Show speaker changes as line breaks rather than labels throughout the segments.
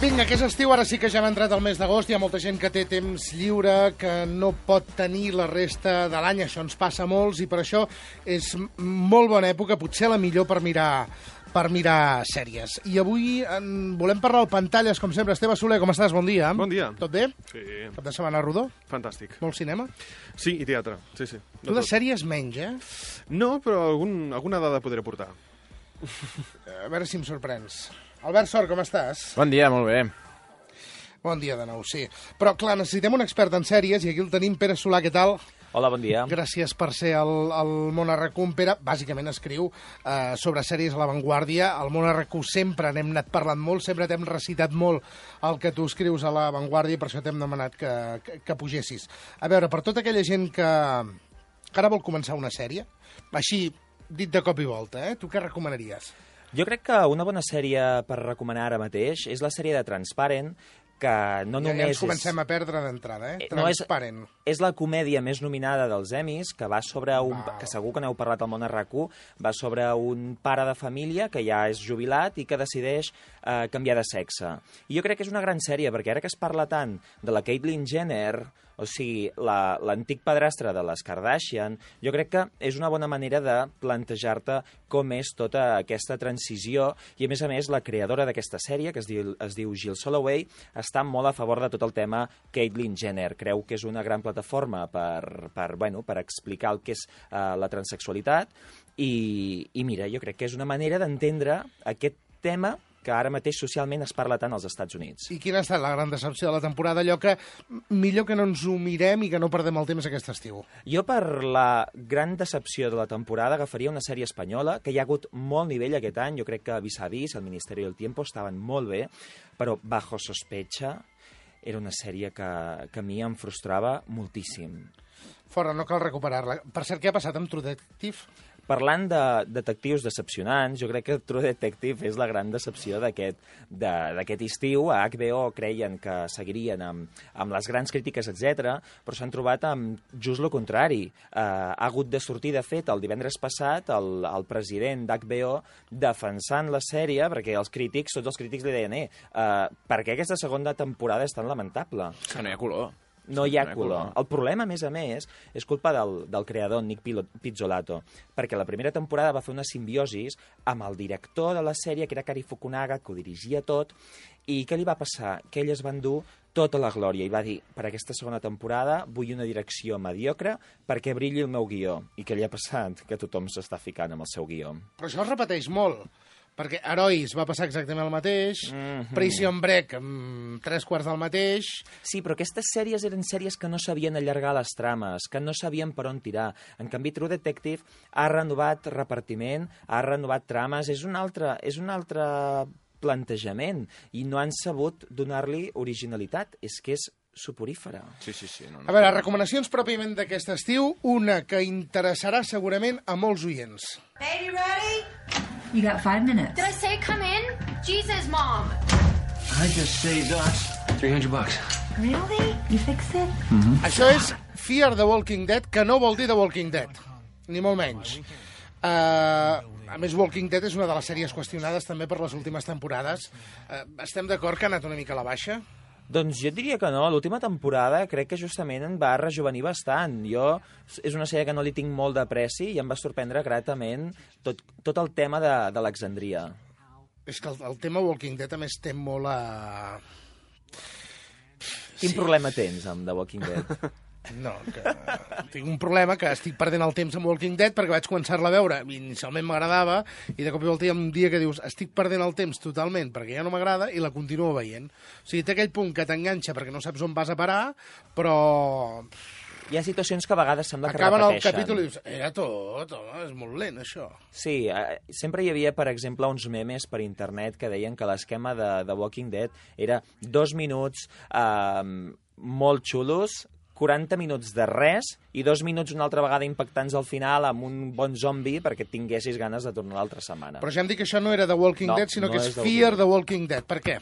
Vinga, que és estiu, ara sí que ja hem entrat al mes d'agost, hi ha molta gent que té temps lliure, que no pot tenir la resta de l'any, això ens passa a molts, i per això és molt bona època, potser la millor per mirar sèries. I avui volem parlar al Pantalles, com sempre. Esteve Soler, com estàs? Bon dia.
Bon dia.
Tot bé?
Sí.
Cap de setmana rodó?
Fantàstic.
Molt cinema?
Sí, i teatre, sí.
Tu de sèries menys, eh?
No, però alguna dada podré portar.
A veure si em sorprens. Albert Sort, com estàs?
Bon dia, molt bé.
Bon dia de nou, sí. Però, clar, necessitem un expert en sèries, i aquí el tenim. Pere Solà, què tal?
Hola, bon dia.
Gràcies per ser al Món RQ. Pere, bàsicament escriu sobre sèries a l'avantguàrdia. Al Món RQ sempre n'hem anat parlant molt, sempre t'hem recitat molt el que tu escrius a l'avantguàrdia, i per això t'hem demanat que pugessis. A veure, per tota aquella gent que ara vol començar una sèrie, així, dit de cop i volta, tu què recomanaries?
Jo crec que una bona sèrie per recomanar ara mateix és la sèrie de Transparent, que no només
ja ens comencem a perdre d'entrada, Transparent.
És la comèdia més nominada dels Emmys, que va sobre que segur que n'heu parlat al Món RQ, va sobre un pare de família que ja és jubilat i que decideix canviar de sexe. I jo crec que és una gran sèrie, perquè ara que es parla tant de la Caitlyn Jenner, o sigui, l'antic padrastre de les Kardashian, jo crec que és una bona manera de plantejar-te com és tota aquesta transició, i a més, la creadora d'aquesta sèrie, que es diu Jill Soloway, està molt a favor de tot el tema Caitlyn Jenner. Creu que és una gran plataforma per explicar el que és la transsexualitat, i mira, jo crec que és una manera d'entendre aquest tema que ara mateix socialment es parla tant als Estats Units.
I quina ha estat la gran decepció de la temporada? Allò que millor que no ens ho mirem i que no perdem el temps aquest estiu.
Jo, per la gran decepció de la temporada, agafaria una sèrie espanyola, que hi ha hagut molt nivell aquest any. Jo crec que Vis a Vis, El Ministeri del Tiempo, estaven molt bé, però Bajo Sospecha era una sèrie que a mi em frustrava moltíssim.
Fora, no cal recuperar-la. Per cert, què ha passat amb True Detective?
Parlant de detectius decepcionants, jo crec que True Detective és la gran decepció d'aquest estiu. A HBO creien que seguirien amb les grans crítiques, etc., però s'han trobat amb just el contrari. Ha hagut de sortir, de fet, el divendres passat, el president d'HBO defensant la sèrie, perquè tots els crítics li deien per què aquesta segona temporada és tan lamentable?
Que no hi ha color.
No hi ha color. El problema, a més, és culpa del creador, Nick Pizzolatto, perquè la primera temporada va fer una simbiosis amb el director de la sèrie, que era Cary Fukunaga, que ho dirigia tot, i què li va passar? Que ell es va endur tota la glòria i va dir, per aquesta segona temporada vull una direcció mediocre perquè brilli el meu guió. I què li ha passat? Que tothom s'està ficant amb el seu guió.
Però això es repeteix molt, perquè Herois va passar exactament el mateix, Prison Break, 3/4 del mateix...
Sí, però aquestes sèries eren sèries que no sabien allargar les trames, que no sabien per on tirar. En canvi, True Detective ha renovat repartiment, ha renovat trames, és un altre plantejament, i no han sabut donar-li originalitat. És que és soporífera.
Sí. No.
A veure, recomanacions pròpiament d'aquest estiu, una que interessarà segurament a molts oients.
Baby, ready?
You got 5 minutes.
Did I say come in? Jesus, Mom.
I just saved us $300.
Really? You fixed it?
Això és Fear the Walking Dead, que no vol dir The Walking Dead, ni molt menys. A més, Walking Dead és una de les sèries qüestionades també per les últimes temporades. Estem d'acord que ha anat una mica a la baixa?
Doncs jo diria que no. L'última temporada crec que justament em va rejuvenir bastant. És una sèrie que no li tinc molt d'apreci i em va sorprendre gratament tot el tema d'Alexandria.
És que el tema Walking Dead a més té molt a...
Quin problema tens amb The Walking Dead?
No, que tinc un problema, que estic perdent el temps amb Walking Dead perquè vaig començar-la a veure, inicialment m'agradava, i de cop i volta hi ha un dia que dius estic perdent el temps totalment perquè ja no m'agrada, i la continuo veient. O sigui, té aquell punt que t'enganxa perquè no saps on vas a parar, però...
Hi ha situacions que a vegades sembla que
acaben
repeteixen.
El capítol i dius, era tot, home, és molt lent, això.
Sí, sempre hi havia, per exemple, uns memes per internet que deien que l'esquema de Walking Dead era 2 minuts molt xulos, 40 minuts de res i 2 minuts una altra vegada impactants al final amb un bon zombi perquè tinguessis ganes de tornar l'altra setmana.
Però ja hem dit que això no era The Walking Dead, sinó que és Fear the Walking Dead. Per què?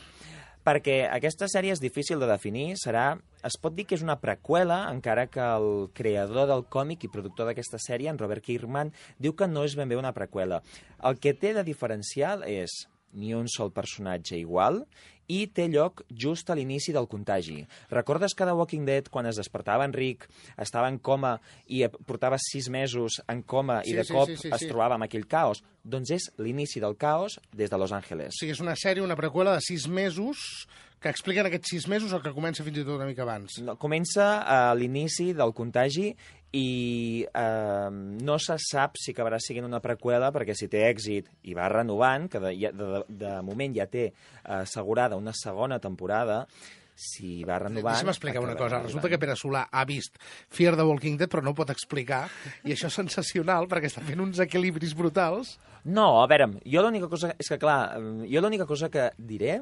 Perquè aquesta sèrie és difícil de definir, es pot dir que és una preqüela, encara que el creador del còmic i productor d'aquesta sèrie, en Robert Kirkman, diu que no és ben bé una preqüela. El que té de diferencial és ni un sol personatge igual i té lloc just a l'inici del contagi. Recordes que The Walking Dead, quan es despertava en Rick, estava en coma i portava 6 mesos en coma i de cop es trobava amb aquell caos? Doncs és l'inici del caos des de Los Angeles.
O sigui, és una sèrie, una preqüela de 6 mesos que expliquen aquests 6 mesos o que comença fins i tot una mica abans?
No, comença a l'inici del contagi i no se sap si acabarà sent una preqüela, perquè si té èxit i va renovant, que de moment ja té assegurada una segona temporada, si va renovant...
Deixa'm explicar una cosa. Resulta que Pere Solà ha vist Fear the Walking Dead, però no ho pot explicar, i això és sensacional, perquè està fent uns equilibris brutals.
No, a veure, jo l'única cosa... És que, clar, jo l'única cosa que diré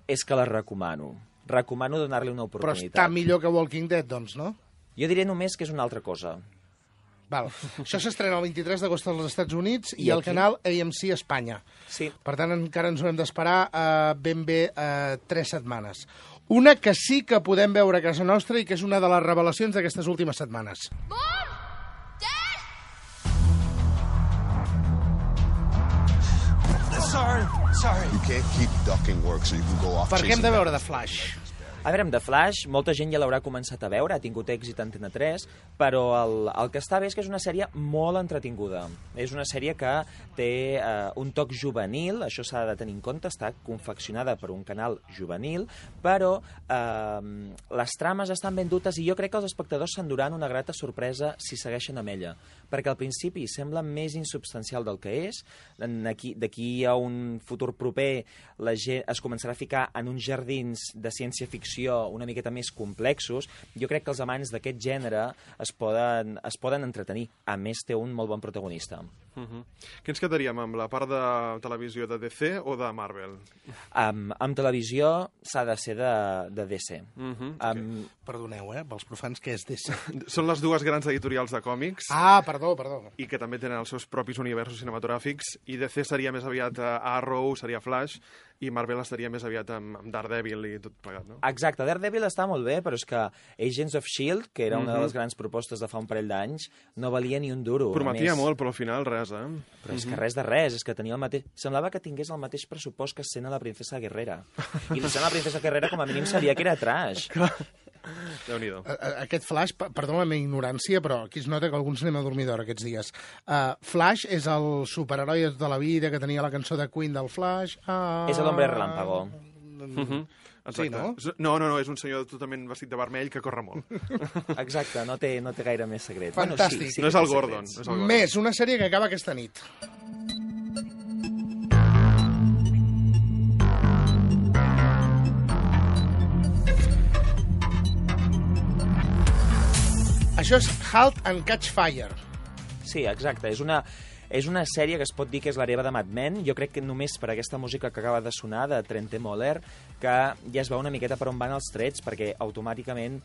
és que la recomano. Recomano donar-li una oportunitat.
Però està millor que Walking Dead, doncs, no?
Jo diré només que és una altra cosa.
Val. Això s'estrena el 23 d'agost als Estats Units i al
aquí?
canal AMC Espanya.
Sí.
Per tant, encara ens haurem d'esperar ben bé 3 setmanes. Una que sí que podem veure a casa nostra i que és una de les revelacions d'aquestes últimes setmanes.
Mom! Dad!
Sorry. You can't keep ducking work so you can go off
Per què hem
chasing
de veure The Flash?
A veure, amb The Flash, molta gent ja l'haurà començat a veure, ha tingut èxit a Antena 3, però el que està bé és que és una sèrie molt entretinguda. És una sèrie que té un toc juvenil, això s'ha de tenir en compte, està confeccionada per un canal juvenil, però les trames estan ben dutes i jo crec que els espectadors s'enduran una grata sorpresa si segueixen amb ella, perquè al principi sembla més insubstancial del que és, d'aquí a un futur proper la gent es començarà a ficar en uns jardins de ciència-ficció una miqueta més complexos. Jo crec que els amants d'aquest gènere es poden entretenir. A més, té un molt bon protagonista.
Què ens quedaríem, amb la part de televisió de DC o de Marvel?
Amb televisió s'ha de ser de DC.
Perdoneu, pels profans, què és DC?
Són les dues grans editorials de còmics
Ah, perdó.
i que també tenen els seus propis universos cinematogràfics, i DC seria més aviat Arrow, seria Flash, i Marvel estaria més aviat amb Daredevil i tot plegat, no?
Exacte, Daredevil està molt bé, però és que Agents of S.H.I.E.L.D., que era una de les grans propostes de fa un parell d'anys, no valia ni un duro.
Prometia molt, però al final res,
Però és que res de res, és que tenia el mateix... Semblava que tingués el mateix pressupost que Escena la princesa Guerrera. I Escena la princesa Guerrera, com a mínim, sabia que era trash.
Déu-n'hi-do.
Aquest Flash, perdó la meva ignorància, però aquí es nota que alguns anem a dormir d'hora aquests dies. Flash és el superheroi de tota la vida que tenia la cançó de Queen del Flash.
És l'hombre relámpago.
Sí, no?
No, és un senyor totalment vestit de vermell que corre molt.
Exacte, no té gaire més secret.
Fantàstic.
Bueno, sí,
No és el Gordon.
Més, una sèrie que acaba aquesta nit. Això és Halt and Catch Fire.
Sí, exacte. És una sèrie que es pot dir que és l'hereva de Mad Men. Jo crec que només per aquesta música que acaba de sonar, de Trente Moller, que ja es veu una miqueta per on van els trets, perquè automàticament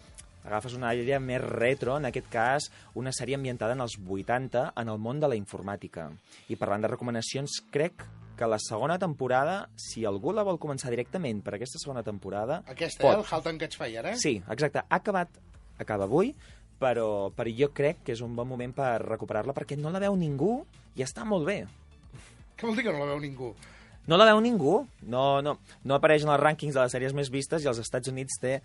agafes una àrea més retro, en aquest cas una sèrie ambientada en els 80, en el món de la informàtica. I parlant de recomanacions, crec que la segona temporada, si algú la vol començar directament per aquesta segona temporada...
Aquesta, el Halt and Catch Fire,
Sí, exacte. Acaba avui, però jo crec que és un bon moment per recuperar-la, perquè no la veu ningú i està molt bé.
Què vol dir que no la veu ningú?
No la veu ningú, no apareix en els rànquings de les sèries més vistes i als Estats Units té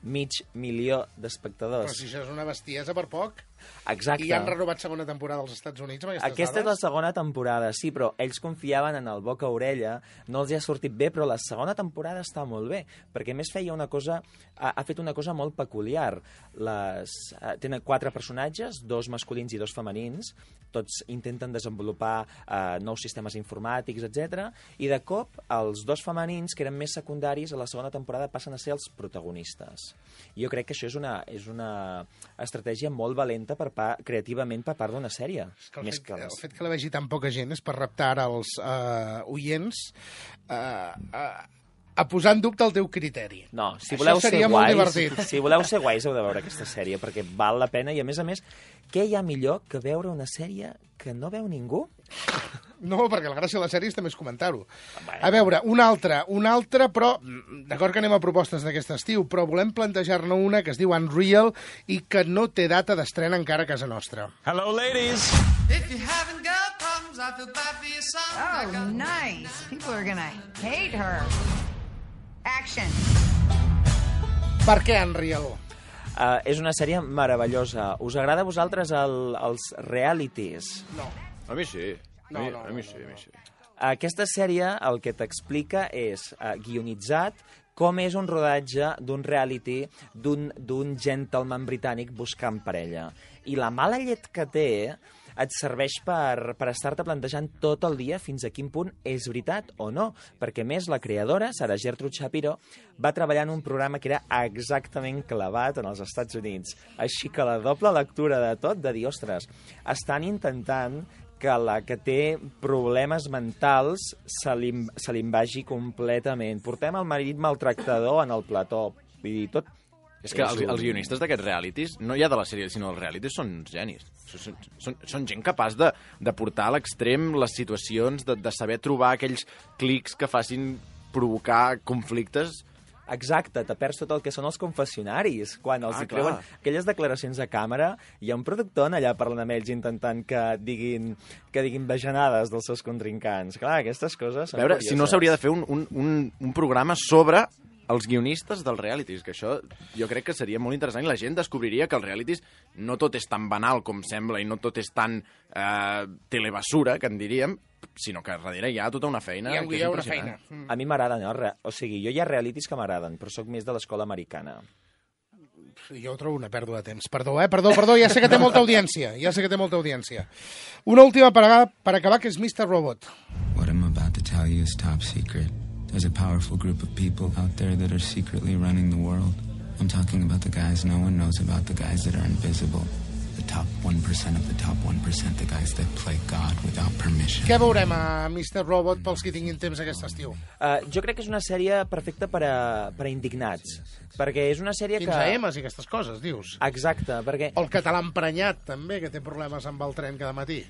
500.000 d'espectadors.
Però si això és una bestiesa per poc.
Exacte.
I han renovat segona temporada als Estats Units amb aquestes
Aquesta és la
dades?
segona temporada, sí, però ells confiaven en el boca-orella, no els hi ha sortit bé, però la segona temporada està molt bé, perquè a més feia una cosa, ha fet una cosa molt peculiar. Tenen 4 personatges, 2 masculins i 2 femenins, tots intenten desenvolupar nous sistemes informàtics, etc. I de cop, els 2 femenins, que eren més secundaris, a la segona temporada passen a ser els protagonistes. Jo crec que això és una estratègia molt valenta creativament per part d'una sèrie.
El fet que la vegi tan poca gent és per reptar ara els oients a posar en dubte el teu criteri.
No, si voleu ser
molt
guais,
divertit.
si voleu ser guais heu de veure aquesta sèrie, perquè val la pena, i a més, què hi ha millor que veure una sèrie que no veu ningú?
No, perquè la gràcia de la sèrie és també comentar-ho. A veure, una altra, però d'acord que anem a propostes d'aquest estiu, però volem plantejar-ne una que es diu Unreal i que no té data d'estrena encara a casa nostra.
Hello, ladies.
If you haven't got problems, I feel bad for your son.
Oh, nice. People are gonna hate her.
Action.
Per què, Unreal?
És una sèrie meravellosa. Us agrada a vosaltres els realities?
No.
A mi sí.
No,
A mi sí.
Aquesta sèrie el que t'explica és guionitzat com és un rodatge d'un reality d'un gentleman britànic buscant parella. I la mala llet que té et serveix per estar-te plantejant tot el dia fins a quin punt és veritat o no, perquè més la creadora, Sarah Gertrude Shapiro, va treballar en un programa que era exactament clavat en els Estats Units. Així que la doble lectura de tot, de dir, ostres, estan intentant que la que té problemes mentals se li vagi completament. Portem el marit maltractador en el plató. Vull dir, tot...
És que els guionistes d'aquests realities, no ja de la sèrie, sinó els realities, són genis. Són gent capaç de portar a l'extrem les situacions, de saber trobar aquells clics que facin provocar conflictes.
Exacte, te perds tot el que són els confessionaris. Quan els hi treuen aquelles declaracions a càmera, hi ha un productor allà parlant amb ells intentant que diguin bajanades dels seus contrincants. Clar, aquestes coses són
curioses. Si no s'hauria de fer un programa sobre els guionistes dels realities, que això jo crec que seria molt interessant i la gent descobriria que els realities no tot és tan banal com sembla i no tot és tan telebasura, que en diríem, sinó que darrere hi ha tota una feina que és impressionant.
A mi m'agraden, no? O sigui, jo hi ha realities que m'agraden, però sóc més de l'escola americana.
Jo ho trobo una pèrdua de temps. Perdó, ja sé que té molta audiència. Una última per acabar, que és Mr. Robot.
What I'm about to tell you is top secret. There's a powerful group of people out there that are secretly running the world. I'm talking about the guys no one knows about, the guys that are invisible. The top 1% of the top 1%, the guys that play God without permission.
Què veurem a Mr. Robot pels que tinguin temps aquest estiu?
Jo crec que és una sèrie perfecta per a indignats, perquè és una sèrie que...
15 M's i aquestes coses, dius?
Exacte, perquè...
O el català emprenyat, també, que té problemes amb el tren cada matí.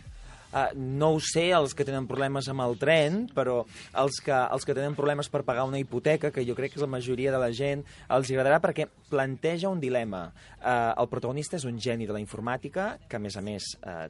No ho sé, els que tenen problemes amb el tren, però els que tenen problemes per pagar una hipoteca, que jo crec que és la majoria de la gent, els agradarà perquè planteja un dilema. El protagonista és un geni de la informàtica, que a més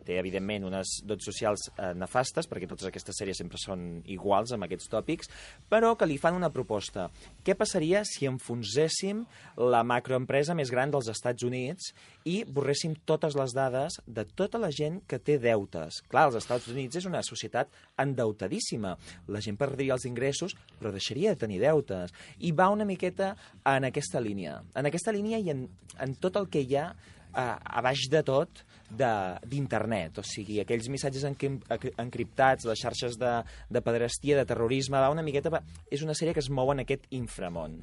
té evidentment unes dots socials nefastes, perquè totes aquestes sèries sempre són iguals amb aquests tòpics, però que li fan una proposta. Què passaria si enfonséssim la macroempresa més gran dels Estats Units i borréssim totes les dades de tota la gent que té deutes? Clar, els Estats Units és una societat endeutadíssima. La gent perdria els ingressos, però deixaria de tenir deutes. I va una miqueta en aquesta línia. En aquesta línia i en tot el que hi ha a baix de tot d'internet. O sigui, aquells missatges encriptats, les xarxes de pederastia, de terrorisme, va una miqueta... És una sèrie que es mou en aquest inframón.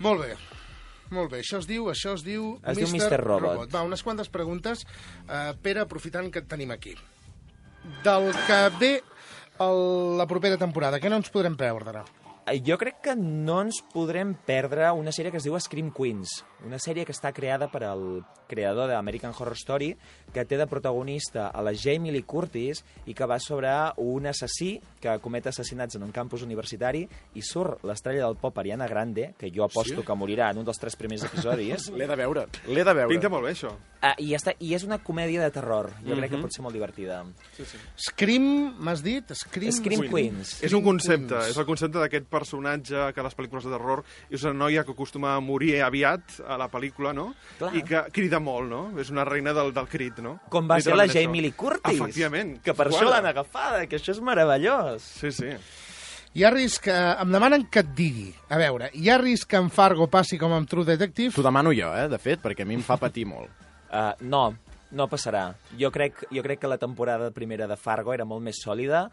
Molt bé. Molt bé, això es diu
Mr. Robot.
Va, unes quantes preguntes. Pere, aprofitant que et tenim aquí. Del que ve la propera temporada, què no ens podrem perdre?
Jo crec que no ens podrem perdre una sèrie que es diu Scream Queens, una sèrie que està creada per el creador d'American Horror Story, que té de protagonista a la Jamie Lee Curtis i que va sobre un assassí que comet assassinats en un campus universitari i surt l'estrella del pop Ariana Grande, que jo aposto que morirà en un dels 3 primers episodis.
L'he de veure.
Pinta molt bé, això.
I és una comèdia de terror. Jo crec que pot ser molt divertida.
Sí.
Scream, m'has dit?
Scream Queens.
És un concepte, és el concepte d'aquest personatge que a les pel·lícules de terror és una noia que acostuma a morir aviat a la pel·lícula, no?
Clar.
I que crida molt, no? És una reina del crit, no?
Com va ser la Jamie Lee Curtis.
Efectivament.
Que per això l'han agafada, que això és meravellós.
Sí.
Hi ha risc, em demanen que et digui. A veure, hi ha risc que en Fargo passi com amb True Detective?
T'ho demano jo, de fet, perquè a mi em fa patir molt.
No passarà. Jo crec que la temporada primera de Fargo era molt més sòlida.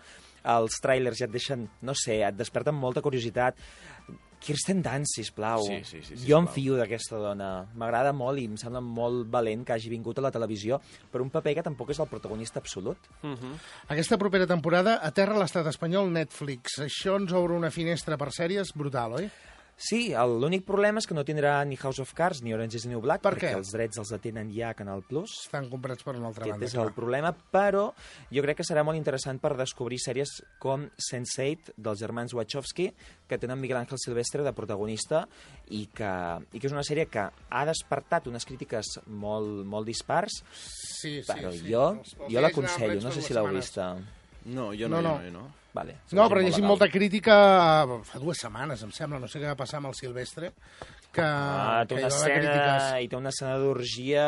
Els tràilers ja et deixen, no sé, et desperten molta curiositat. Kirsten Dunst, sisplau.
Sí,
Jo em fio d'aquesta dona. M'agrada molt i em sembla molt valent que hagi vingut a la televisió per un paper que tampoc és el protagonista absolut.
Aquesta propera temporada aterra l'estat espanyol Netflix. Això ens obre una finestra per sèries brutal, oi?
Sí, l'únic problema és que no tindrà ni House of Cards ni Orange is the New Black, perquè els drets els detenen ja a Canal Plus.
Estan comprats per una altra banda.
Aquest és el problema, però jo crec que serà molt interessant per descobrir sèries com Sense8, dels germans Wachowski, que tenen Miguel Ángel Silvestre de protagonista i que és una sèrie que ha despertat unes crítiques molt dispars, però jo l'aconsello, no sé si l'heu vista.
No, jo no.
Vale,
No, però llegim molta crítica fa 2 setmanes, em sembla, no sé què va passar amb el Silvestre, que
té
hi
una
va haver
escena,
crítiques.
i té una escena d'orgia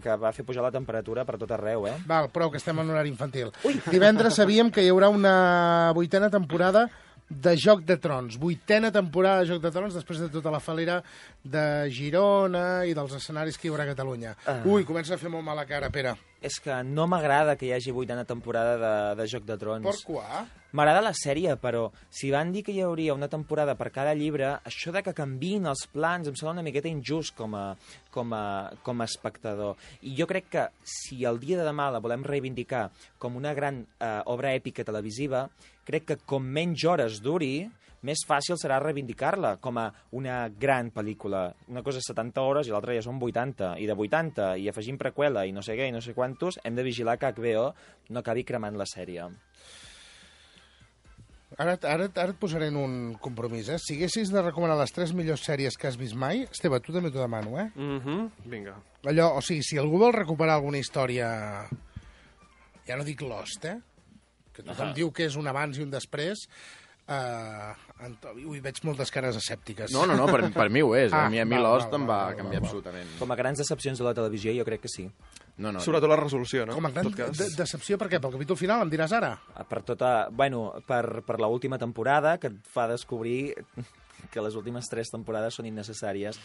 que va fer pujar la temperatura per tot arreu, eh?
Val, prou, que estem en horari infantil. Divendres sabíem que hi haurà una 8a temporada de Joc de Trons. 8a temporada de Joc de Trons, després de tota la falera de Girona i dels escenaris que hi haurà a Catalunya. Ui, comença a fer molt mala cara, Pere.
És que no m'agrada que hi hagi 8a temporada de Joc de Trons.
Per què?
M'agrada la sèrie, però si van dir que hi hauria una temporada per cada llibre, això de que canviïn els plans em sembla una miqueta injust com a espectador. I jo crec que si el dia de demà la volem reivindicar com una gran obra èpica televisiva, crec que com menys hores duri, més fàcil serà reivindicar-la com a una gran pel·lícula. Una cosa és 70 hores i l'altra ja són 80. I de 80, i afegim preqüela i no sé què, i no sé quantos, hem de vigilar que HBO no acabi cremant la sèrie.
Ara et posaré en un compromís, eh? Si haguessis de recomanar les 3 millors sèries que has vist mai, Esteve, tu també t'ho demano, eh?
Vinga.
Allò, o sigui, si algú vol recuperar alguna història... Ja no dic Lost, eh? Que tothom diu que és un abans i un després... Ui, veig moltes cares escèptiques.
No, per mi ho és. A mi Lost em va
val,
canviar absolutament.
Com a grans decepcions de la televisió, jo crec que sí.
No.
Sobretot la resolució, no?
Com a gran decepció, per què? Pel capítol final, em diràs ara?
Per l'última temporada, que et fa descobrir que les últimes 3 temporades són innecessàries,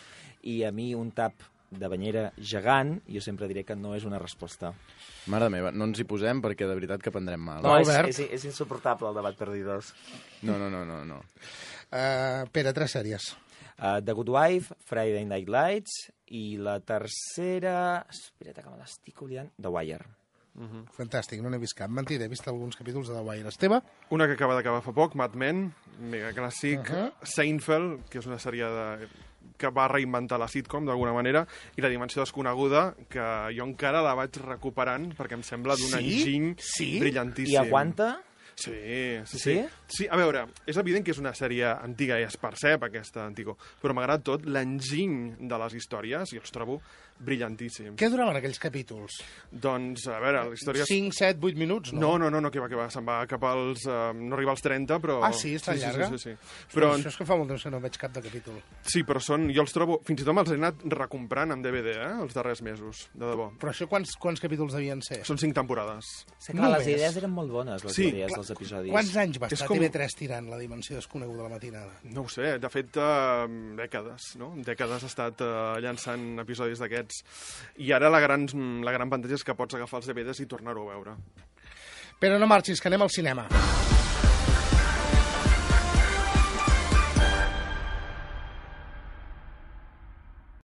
i a mi un tap de banyera gegant, jo sempre diré que no és una resposta.
Mare meva, no ens hi posem perquè de veritat que prendrem mal.
No, és insuportable el debat Perdidos.
No.
Pere, 3 sèries.
The Good Wife, Friday Night Lights, i la tercera... Espera't, que me l'estic oblidant. The Wire.
Fantàstic, no n'he vist cap. Mentida, he vist alguns capítols de The Wire. Esteve?
Una que acaba d'acabar fa poc, Mad Men, mega clàssic. Seinfeld, que és una sèrie que va reinventar la sitcom d'alguna manera, i La dimensió desconeguda, que jo encara la vaig recuperant perquè em sembla d'un enginy brillantíssim.
I aguanta?
Sí. A veure, és evident que és una sèrie antiga i es percep aquesta antiga, però m'agrada tot l'enginy de les històries i els trobo brillantíssims.
Què duraven aquells capítols?
Doncs, a veure, la història...
5, 7, 8 minuts, no?
No, que va, se'n va cap als... no arriba als 30, però...
Ah, sí? És tan llarga?
Sí. Però...
Això és que fa molt temps que no veig cap de capítol.
Sí, però jo els trobo... Fins i tot me'ls he anat recomprant en DVD, els darrers mesos, de debò.
Però això quants capítols devien ser?
Són 5 temporades.
Les idees eren molt bones, les idees dels episodis.
Quants anys va estar TV3 tirant La dimensió desconeguda a la matinada?
No ho sé, de fet, dècades, no? Dècades ha estat llançant episodis d'aquests. I ara la gran pantalla és que pots agafar els DVDs i tornar-ho a veure.
Però no marxis, que anem al cinema.